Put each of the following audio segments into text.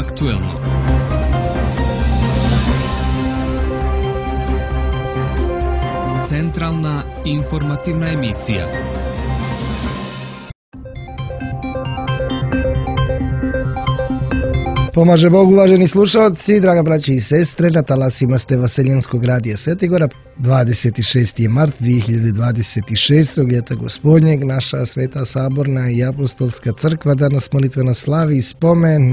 Aktuelno. Centralna informativna emisija. Pomaže Bog, uvaženi slušalci, draga braći i sestre, na talasima ste Vaseljenskog radija Svetigora. 26. je mart 2026. ljeta gospodnjeg, naša Sveta Saborna i Apostolska crkva danas molitveno slavi spomen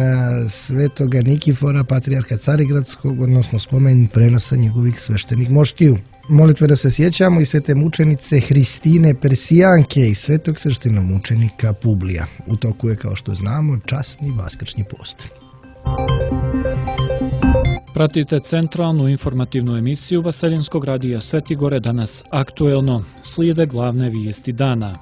svetoga Nikifora, patrijarha Carigradskog, odnosno spomen prenosa njegovih sveštenih moštiju. Molitveno se sjećamo i svete mučenice Hristine Persijanke i svetog sveštenomučenika Publija. U toku je, kao što znamo, časni vaskršnji post. Pratite centralnu informativnu emisiju Vaseljenskog radija Svetigore, danas aktuelno. Slijede glavne vijesti dana.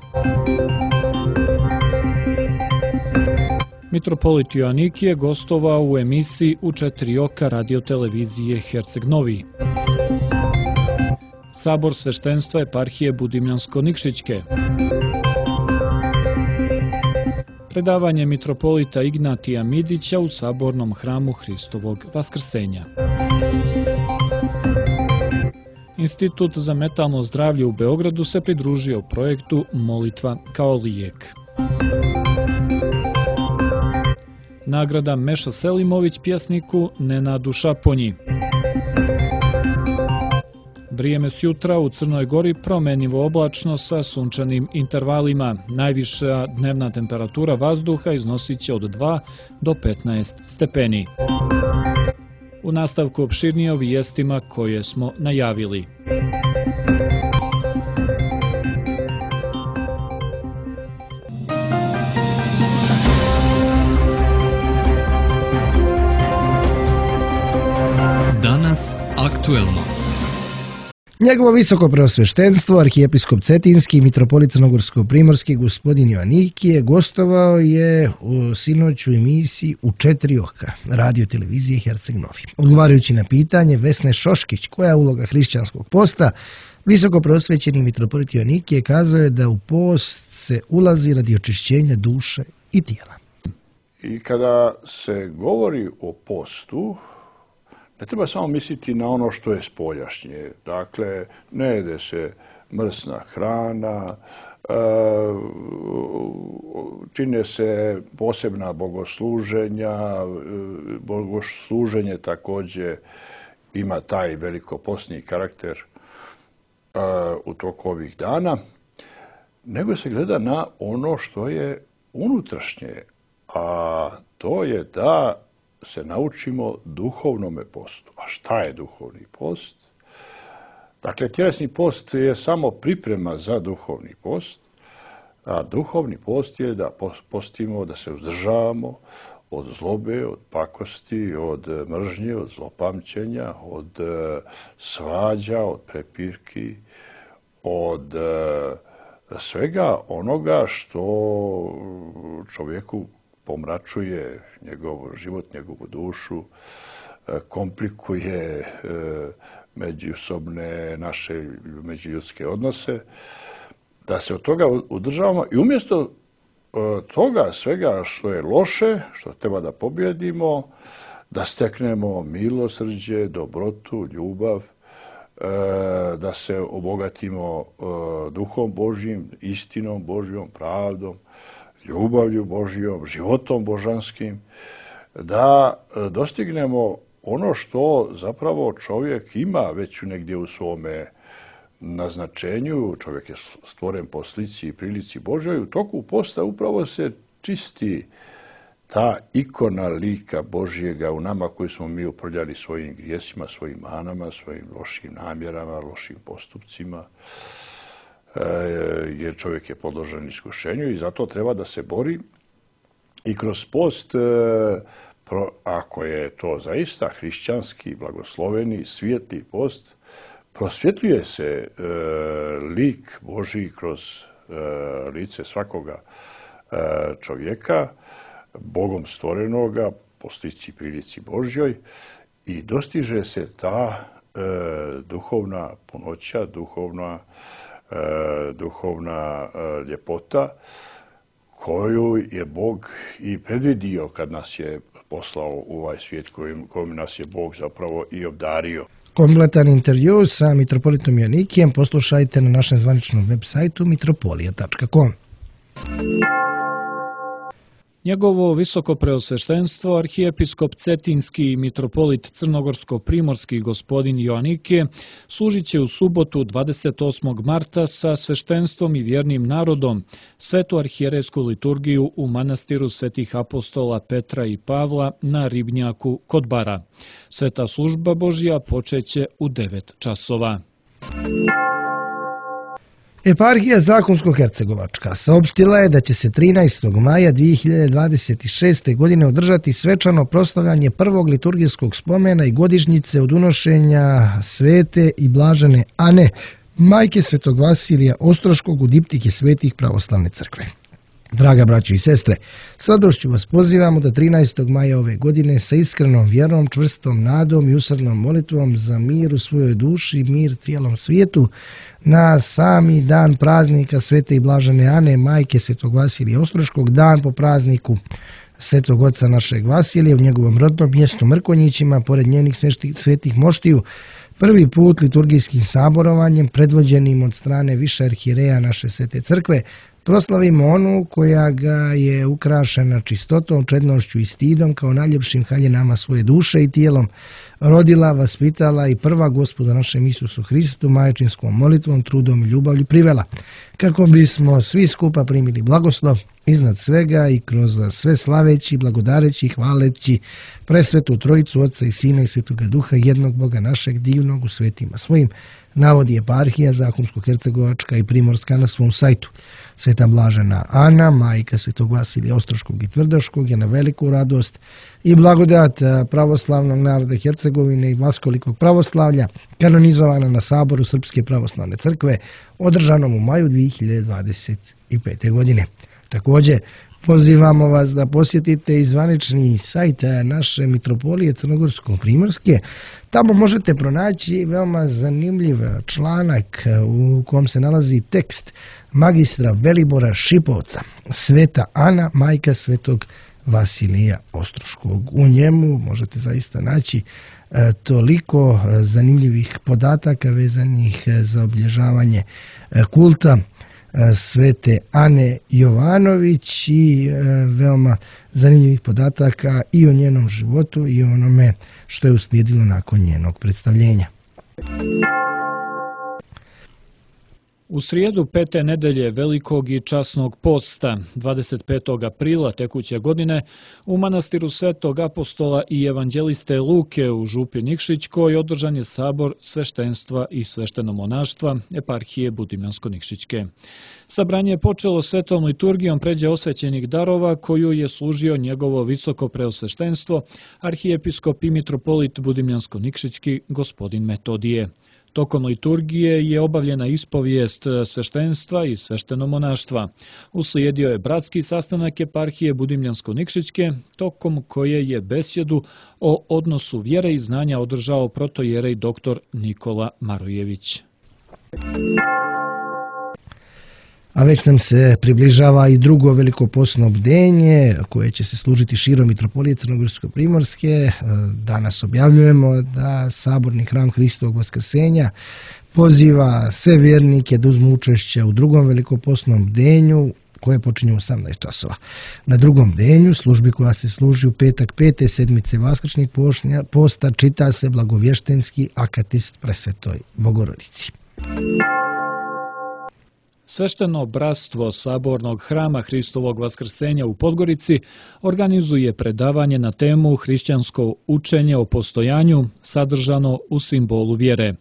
Mitropolit Joanik je gostovao u emisiji U četiri oka radiotelevizije Herceg Novi. Sabor sveštenstva eparhije Budimljansko-Nikšićke. Predavanje mitropolita Ignatija Midića u Sabornom hramu Hristovog Vaskrsenja. Institut za metalno zdravlje u Beogradu se pridružio projektu Molitva kao lijek. Nagrada Meša Selimović pjesniku Nenadu Šaponji. Vrijeme sjutra u Crnoj Gori promjenjivo oblačno sa sunčanim intervalima. Najviša dnevna temperatura vazduha iznosit će od 2 do 15 stepeni. U nastavku opširnije o vijestima koje smo najavili. Danas aktuelno. Njegovo visoko preosveštenstvo, arhijepiskop Cetinski i mitropolit Crnogorsko-primorski gospodin Joanikije gostovao je u sinoć u emisiji U četiri oka radiotelevizije Herceg Novi. Odgovarajući na pitanje Vesne Šoškić, koja je uloga hrišćanskog posta, visoko preosvećeni mitropolit Joanikije kazao je da u post se ulazi radi očišćenja duše i tijela. I kada se govori o postu, ne treba samo misliti na ono što je spoljašnje. Dakle, ne jede se mrsna hrana, čine se posebna bogosluženja. Bogosluženje također ima taj velikoposni karakter u toku ovih dana, nego se gleda na ono što je unutrašnje, a to je da se naučimo duhovnome postu. A šta je duhovni post? Dakle, tjelesni post je samo priprema za duhovni post, a duhovni post je da postimo, da se uzdržavamo od zlobe, od pakosti, od mržnje, od zlopamćenja, od svađa, od prepirki, od svega onoga što čovjeku pomračuje njegov život, njegovu dušu, komplikuje međusobne naše međuljudske odnose, da se od toga udržavamo i umjesto toga svega što je loše, što treba da pobjedimo, da steknemo milosrđe, dobrotu, ljubav, da se obogatimo duhom Božjim, istinom Božjom, pravdom, ljubavlju Božjom, životom božanskim, da dostignemo ono što zapravo čovjek ima već negdje u svome naznačenju. Čovjek je stvoren po slici i prilici Božjoj. U toku posta upravo se čisti ta ikona lika Božjega u nama koji smo mi uprljali svojim grijesima, svojim manama, svojim lošim namjerama, lošim postupcima, jer čovjek je podložen iskušenju i zato treba da se bori i kroz post, ako je to zaista hrišćanski, blagosloveni, svijetli post, prosvjetljuje se lik Božji kroz lice svakoga čovjeka, Bogom stvorenoga, po slici i prilici Božjoj, i dostiže se ta duhovna punoća, duhovna ljepota koju je Bog i predvidio kad nas je poslao u ovaj svijet kojim nas je Bog zapravo i obdario. Kompletan intervju sa mitropolitom Joanikijem poslušajte na našem zvaničnom web sajtu mitropolija.com. Njegovo visoko preosveštenstvo, arhijepiskop Cetinski i mitropolit Crnogorsko-primorski gospodin Joanikije služit će u subotu 28. marta sa sveštenstvom i vjernim narodom svetu arhijerejsku liturgiju u manastiru svetih apostola Petra i Pavla na Ribnjaku kod Bara. Sveta služba Božja počeće u 9 časova. Eparhija Zahumsko-hercegovačka saopštila je da će se 13. maja 2026. godine održati svečano proslavljanje prvog liturgijskog spomena i godišnjice od unošenja svete i blažene Ane, majke svetog Vasilija Ostroškog u diptike svetih pravoslavne crkve. Draga braćo i sestre, s radošću vas pozivamo da 13. maja ove godine sa iskrenom vjerom, čvrstom nadom i usrdnom molitvom za mir u svojoj duši, mir cijelom svijetu, na sami dan praznika svete i blažene Ane, majke svetog Vasilija Ostroškog, dan po prazniku svetog oca našeg Vasilija u njegovom rodnom mjestu Mrkonjićima, pored njenih svetih moštiju, prvi put liturgijskim saborovanjem, predvođenim od strane više arhijereja naše svete crkve, proslavimo onu koja ga je ukrašena čistotom, čednošću i stidom kao najljepšim haljinama svoje duše i tijelom, rodila, vaspitala i prva Gospoda našem Isusu Hristu majčinskom molitvom, trudom i ljubavlju privela, kako bismo svi skupa primili blagoslov iznad svega i kroz sve slaveći, blagodareći i hvaleći presvetu Trojicu Otca i Sina i Svetoga Duha, jednog Boga našeg divnog u svetima svojim, navodi eparhija Zahumsko-hercegovačka i primorska na svom sajtu. Sveta blažena Ana, majka svetog Vasilija Ostroškog i Tvrdoškog, je na veliku radost i blagodat pravoslavnog naroda Hercegovine i vaskolikog pravoslavlja kanonizovana na saboru Srpske pravoslavne crkve održanom u maju 2025. godine. Također, pozivamo vas da posjetite i zvanični sajt naše mitropolije Crnogorsko-primorske. Tamo možete pronaći veoma zanimljiv članak u kom se nalazi tekst magistra Velibora Šipovca, Sveta Ana, majka svetog Vasilija Ostroškog. U njemu možete zaista naći toliko zanimljivih podataka vezanih za obilježavanje kulta svete Ane Jovanović i veoma zanimljivih podataka i o njenom životu i o onome što je uslijedilo nakon njenog predstavljenja. U srijedu 5. nedelje Velikog i časnog posta, 25. aprila tekuće godine, u manastiru svetog apostola i evanđeliste Luke u Župi Nikšićkoj održan je sabor sveštenstva i sveštenomonaštva eparhije Budimljansko-Nikšićke. Sabranje je počelo svetom liturgijom pređe osvećenih darova koju je služio njegovo visoko preosveštenstvo, arhijepiskop i mitropolit Budimljansko-Nikšićki gospodin Metodije. Tokom liturgije je obavljena ispovijest sveštenstva i sveštenomonaštva. Uslijedio je bratski sastanak eparhije Budimljansko-Nikšićke, tokom koje je besjedu o odnosu vjere i znanja održao protojerej dr. Nikola Marojević. A već nam se približava i drugo velikopostno bdenje koje će se služiti širom mitropolije Crnogorsko-primorske. Danas objavljujemo da saborni hram Hristovog vaskrsenja poziva sve vjernike da uzmu učešće u drugom velikopostnom bdenju koje počinje u 18 časova. Na drugom bdenju, službi koja se služi u petak 5. sedmice vaskršnjeg posta, čita se blagovještenski akatist presvetoj Bogorodici. Svešteno bratstvo Sabornog hrama Hristovog vaskrsenja u Podgorici organizuje predavanje na temu hrišćansko učenje o postojanju sadržano u simbolu vjere.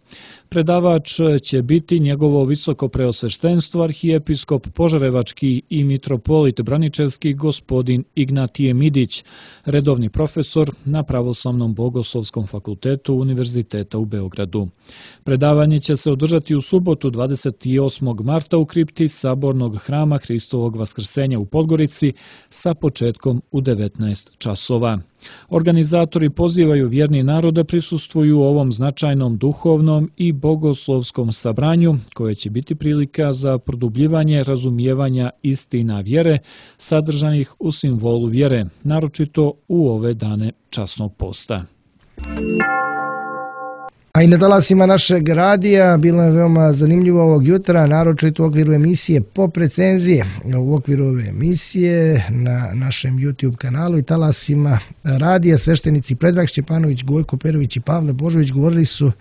Predavač će biti njegovo visoko preosveštenstvo arhijepiskop Požarevački i mitropolit Braničevski gospodin Ignatije Midić, redovni profesor na Pravoslavnom bogoslovskom fakultetu Univerziteta u Beogradu. Predavanje će se održati u subotu 28. marta u kripti Sabornog hrama Hristovog vaskrsenja u Podgorici sa početkom u 19 časova. Organizatori pozivaju vjerni narod da prisustvuju ovom značajnom duhovnom i bogoslovskom sabranju, koje će biti prilika za produbljivanje razumijevanja istina vjere sadržanih u simbolu vjere, naročito u ove dane časnog posta. A i na talasima našeg radija bilo je veoma zanimljivo ovog jutra, naročito u okviru emisije Pop recenzije. U okviru ove emisije na našem YouTube kanalu i talasima radija sveštenici Predrag Šćepanović, Gojko Perović i Pavle Božović govorili su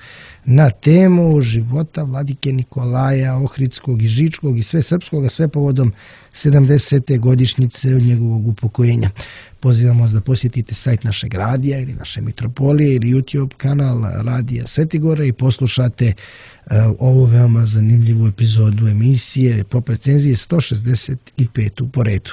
na temu života vladike Nikolaja Ohridskog i Žičkog i sve srpskog, sve povodom 70. godišnjice od njegovog upokojenja. Pozivamo vas da posjetite sajt našeg radija ili naše mitropolije ili YouTube kanal Radija Svetigora i poslušate ovu veoma zanimljivu epizodu emisije Pop recenzije 165. po redu.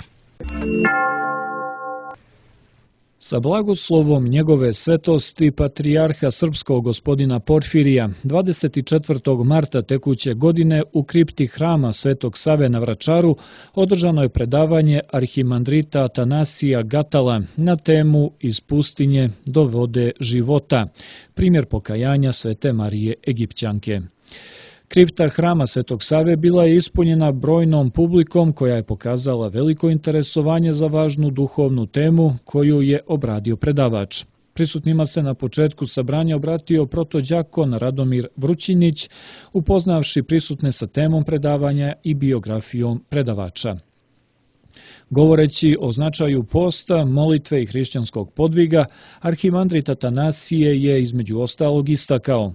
Sa blagoslovom njegove svetosti patrijarha srpskog gospodina Porfirija 24. marta tekuće godine u kripti hrama Svetog Save na Vračaru održano je predavanje arhimandrita Atanasija Gatala na temu Iz pustinje do vode života, primjer pokajanja Svete Marije Egipćanke. Kripta hrama Svetog Save bila je ispunjena brojnom publikom koja je pokazala veliko interesovanje za važnu duhovnu temu koju je obradio predavač. Prisutnima se na početku sabranja obratio protođakon Radomir Vrućinić, upoznavši prisutne sa temom predavanja i biografijom predavača. Govoreći o značaju posta, molitve i hrišćanskog podviga, arhimandrit Atanasije je između ostalog istakao: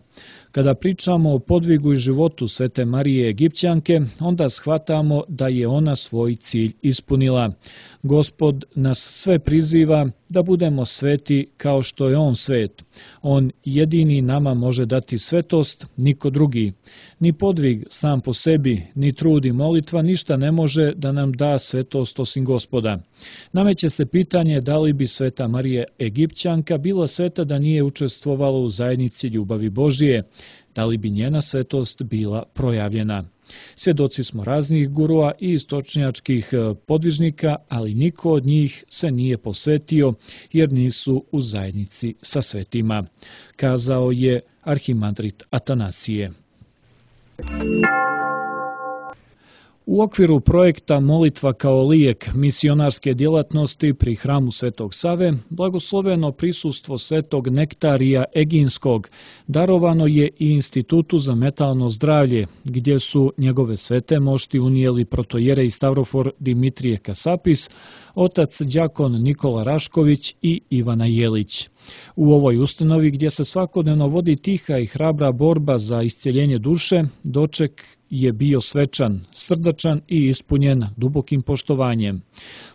kada pričamo o podvigu i životu Svete Marije Egipćanke, onda shvatamo da je ona svoj cilj ispunila. Gospod nas sve priziva da budemo sveti kao što je On svet. On jedini nama može dati svetost, niko drugi. Ni podvig sam po sebi, ni trud i molitva ništa ne može da nam da svetost osim Gospoda. Nameće se pitanje da li bi Sveta Marija Egipćanka bila sveta da nije učestvovala u zajednici ljubavi Božije, da li bi njena svetost bila projavljena. Svjedoci smo raznih gurua i istočnjačkih podvižnika, ali niko od njih se nije posvetio jer nisu u zajednici sa svetima, kazao je arhimandrit Atanasije. U okviru projekta Molitva kao lijek misionarske djelatnosti pri hramu Svetog Save, blagosloveno prisustvo Svetog Nektarija Eginskog darovano je i Institutu za metalno zdravlje, gdje su njegove svete mošti unijeli protojerej Stavrofor Dimitrije Kasapis, otac đakon Nikola Rašković i Ivana Jelić. U ovoj ustanovi gdje se svakodnevno vodi tiha i hrabra borba za iscjeljenje duše, doček je bio svečan, srdačan i ispunjen dubokim poštovanjem.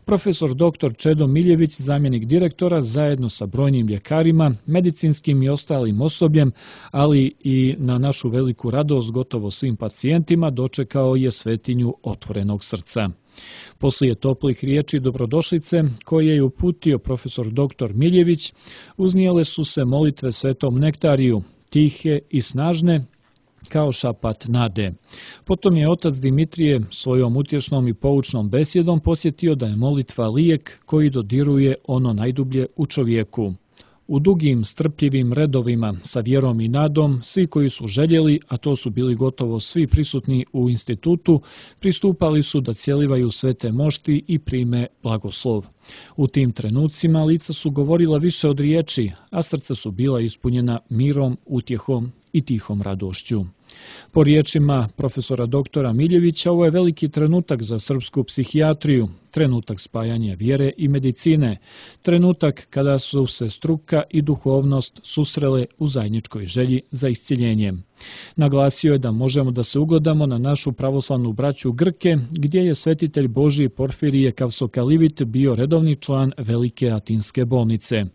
Profesor dr. Čedo Miljević, zamjenik direktora, zajedno sa brojnim ljekarima, medicinskim i ostalim osobljem, ali i na našu veliku radost gotovo svim pacijentima, dočekao je svetinju otvorenog srca. Poslije toplih riječi dobrodošlice koje je uputio profesor dr. Miljević, uznijele su se molitve Svetom Nektariju, tihe i snažne, kao šapat nade. Potom je otac Dimitrije svojom utješnom i poučnom besjedom podsjetio da je molitva lijek koji dodiruje ono najdublje u čovjeku. U dugim, strpljivim redovima sa vjerom i nadom, svi koji su željeli, a to su bili gotovo svi prisutni u institutu, pristupali su da cjelivaju svete mošti i prime blagoslov. U tim trenucima lica su govorila više od riječi, a srca su bila ispunjena mirom, utjehom i tihom radošću. Po riječima profesora doktora Miljevića, ovo je veliki trenutak za srpsku psihijatriju, trenutak spajanja vjere i medicine, trenutak kada su se struka i duhovnost susrele u zajedničkoj želji za iscjeljenjem. Naglasio je da možemo da se ugledamo na našu pravoslavnu braću Grke, gdje je svetitelj Božji Porfirije Kavsokalivit bio redovni član Velike Atinske bolnice.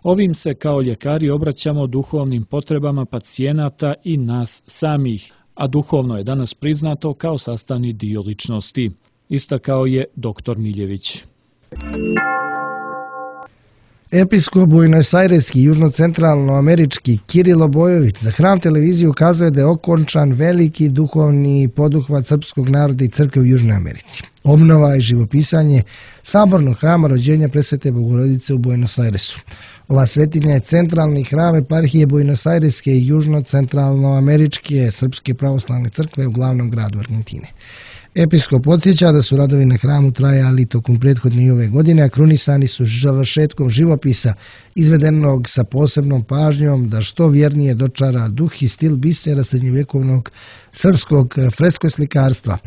Ovim se kao ljekari obraćamo duhovnim potrebama pacijenata i nas samih, a duhovno je danas priznato kao sastavni dio ličnosti, istakao je dr. Miljević. Episkop buenosajreski južnocentralnoamerički Kirilo Bojović za Hram televiziju ukazuje da je okončan veliki duhovni poduhvat srpskog naroda i crkve u Južnoj Americi. Obnova i živopisanje sabornog hrama rođenja Presvete Bogorodice u Buenos Airesu. Ova svetinja je centralni hram eparhije buenosajreske i južnocentralnoameričke srpske pravoslavne crkve u glavnom gradu Argentine. Episkop podsjeća da su radovi na hramu trajali tokom prethodne i ove godine, a krunisani su završetkom živopisa izvedenog sa posebnom pažnjom da što vjernije dočara duh i stil bisera srednjovjekovnog srpskog freskoslikarstva.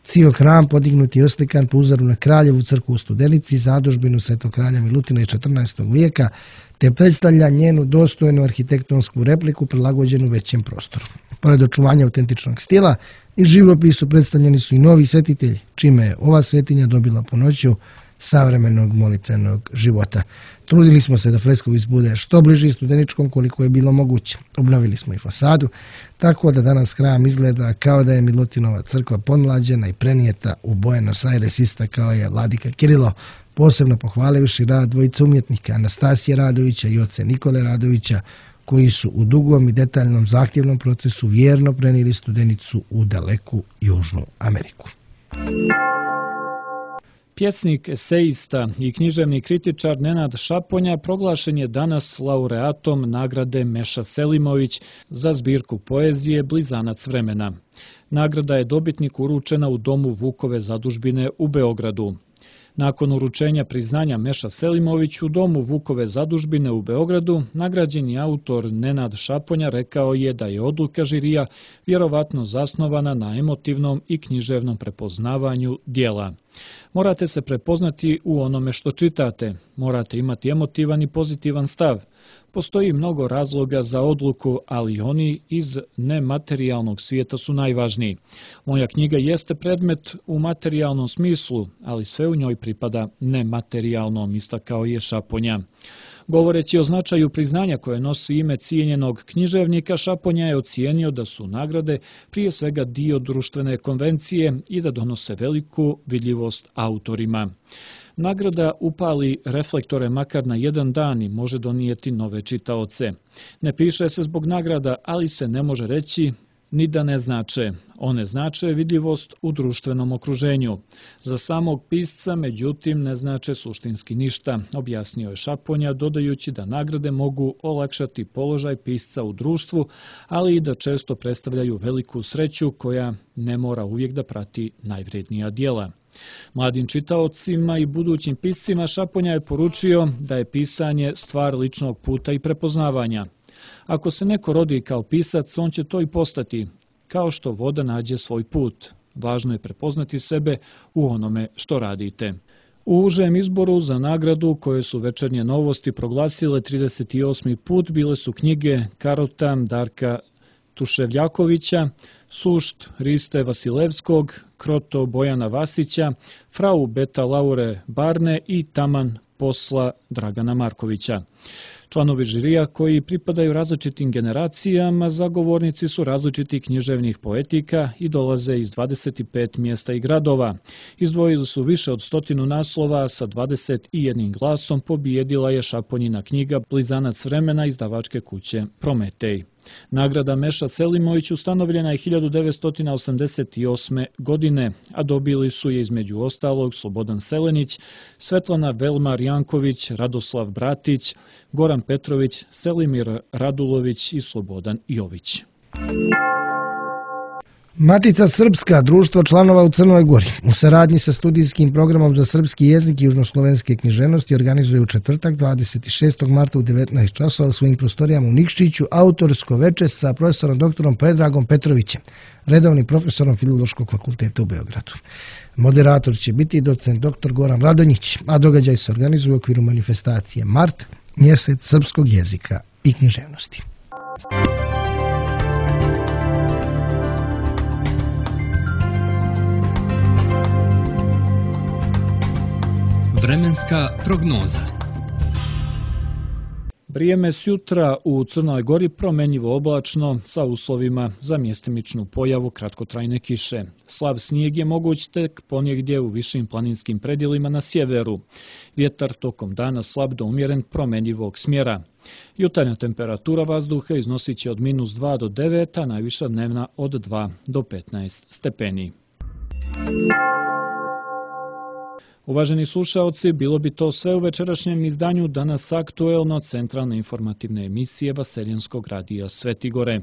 Cijel hram podignut je oslikan po uzoru na Kraljevu crkvu u Studenici, zadužbinu Svetog kralja Milutina iz 14. vijeka, te predstavlja njenu dostojnu arhitektonsku repliku prilagođenu većem prostoru. Pored očuvanja autentičnog stila i živopisu predstavljeni su i novi svetitelji, čime je ova svetinja dobila punoću savremenog molitvenog života. Trudili smo se da freskovis bude što bliži Studeničkom koliko je bilo moguće. Obnovili smo i fasadu, tako da danas hram izgleda kao da je Milutinova crkva pomlađena i prenijeta u Buenos Aires, istakao je vladika Kirilo, posebno pohvalivši rad dvojice umjetnika Anastasije Radovića i oce Nikole Radovića, koji su u dugom i detaljnom zahtjevnom procesu vjerno prenijeli Studenicu u daleku Južnu Ameriku. Pjesnik, esejista i književni kritičar Nenad Šaponja proglašen je danas laureatom nagrade Meša Selimović za zbirku poezije Blizanac vremena. Nagrada je dobitniku uručena u domu Vukove zadužbine u Beogradu. Nakon uručenja priznanja Meša Selimović u domu Vukove zadužbine u Beogradu, nagrađeni autor Nenad Šaponja rekao je da je odluka žirija vjerovatno zasnovana na emotivnom i književnom prepoznavanju dijela. Morate se prepoznati u onome što čitate, morate imati emotivan i pozitivan stav. Postoji mnogo razloga za odluku, ali oni iz nematerijalnog svijeta su najvažniji. Moja knjiga jeste predmet u materijalnom smislu, ali sve u njoj pripada nematerijalnom, istakao je Šaponja. Govoreći o značaju priznanja koje nosi ime cijenjenog književnika, Šaponja je ocijenio da su nagrade prije svega dio društvene konvencije i da donose veliku vidljivost autorima. Nagrada upali reflektore makar na jedan dan i može donijeti nove čitaoce. Ne piše se zbog nagrada, ali se ne može reći ni da ne znače. One znače vidljivost u društvenom okruženju. Za samog pisca, međutim, ne znače suštinski ništa, objasnio je Šaponja, dodajući da nagrade mogu olakšati položaj pisca u društvu, ali i da često predstavljaju veliku sreću koja ne mora uvijek da prati najvrednija djela. Mladim čitaocima i budućim piscima Šaponja je poručio da je pisanje stvar ličnog puta i prepoznavanja. Ako se neko rodi kao pisac, on će to i postati, kao što voda nađe svoj put. Važno je prepoznati sebe u onome što radite. U užem izboru za nagradu koje su Večernje novosti proglasile 38. put bile su knjige Karota Darka Tuševljakovića, Sušt Riste Vasilevskog, Kroto Bojana Vasića, Frau Beta Laure Barne i Taman posla Dragana Markovića. Članovi žirija koji pripadaju različitim generacijama, zagovornici su različitih književnih poetika i dolaze iz 25 mjesta i gradova. Izdvojili su više od 100 naslova, sa 21 glasom pobijedila je Šaponjina knjiga Blizanac vremena izdavačke kuće Prometej. Nagrada Meša Selimović ustanovljena je 1988. godine, a dobili su je između ostalog Slobodan Selenić, Svetlana Velmar Janković, Radoslav Bratić, Goran Petrović, Selimir Radulović i Slobodan Jović. Matica Srpska, društvo članova u Crnoj Gori, u saradnji sa studijskim programom za srpski jezik i južnoslovenske književnosti organizuje u četvrtak 26. marta u 19 časova u svojim prostorijama u Nikšiću autorsko veče sa profesorom doktorom Predragom Petrovićem, redovnim profesorom Filološkog fakulteta u Beogradu. Moderator će biti docent dr. Goran Radonjić, a događaj se organizuje u okviru manifestacije Mart, mjesec srpskog jezika i književnosti. Vremenska prognoza. Vrijeme sjutra u Crnoj Gori promenjivo oblačno sa uslovima za mjestimičnu pojavu kratkotrajne kiše. Slab snijeg je moguć tek ponegdje u višim planinskim predjelima na sjeveru. Vjetar tokom dana slab do umjeren promenjivog smjera. Jutarnja temperatura vazduha iznosit će od -2 do 9, a najviša dnevna od 2 do 15 stepeni. Uvaženi slušaoci, bilo bi to sve u večerašnjem izdanju Danas aktuelno centralne informativne emisije Vaseljenskog radija Svetigore.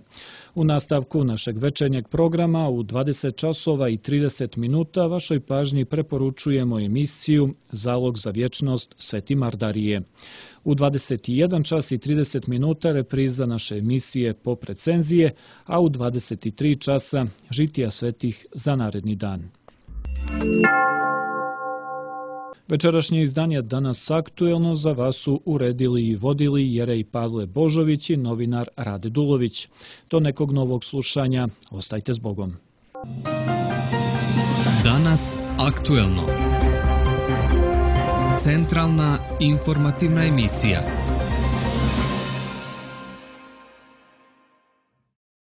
U nastavku našeg večernjeg programa u 20 časova i 30 minuta vašoj pažnji preporučujemo emisiju Zalog za vječnost Sveti Mardarije. U 21 čas i 30 minuta repriza naše emisije Pop recenzije, a u 23 časa žitija svetih za naredni dan. Večerašnje izdanje Danas aktuelno za vas su uredili i vodili Jerej Pavle Božović i novinar Rade Dulović. Do nekog novog slušanja, ostajte s Bogom. Danas aktuelno. Centralna informativna emisija.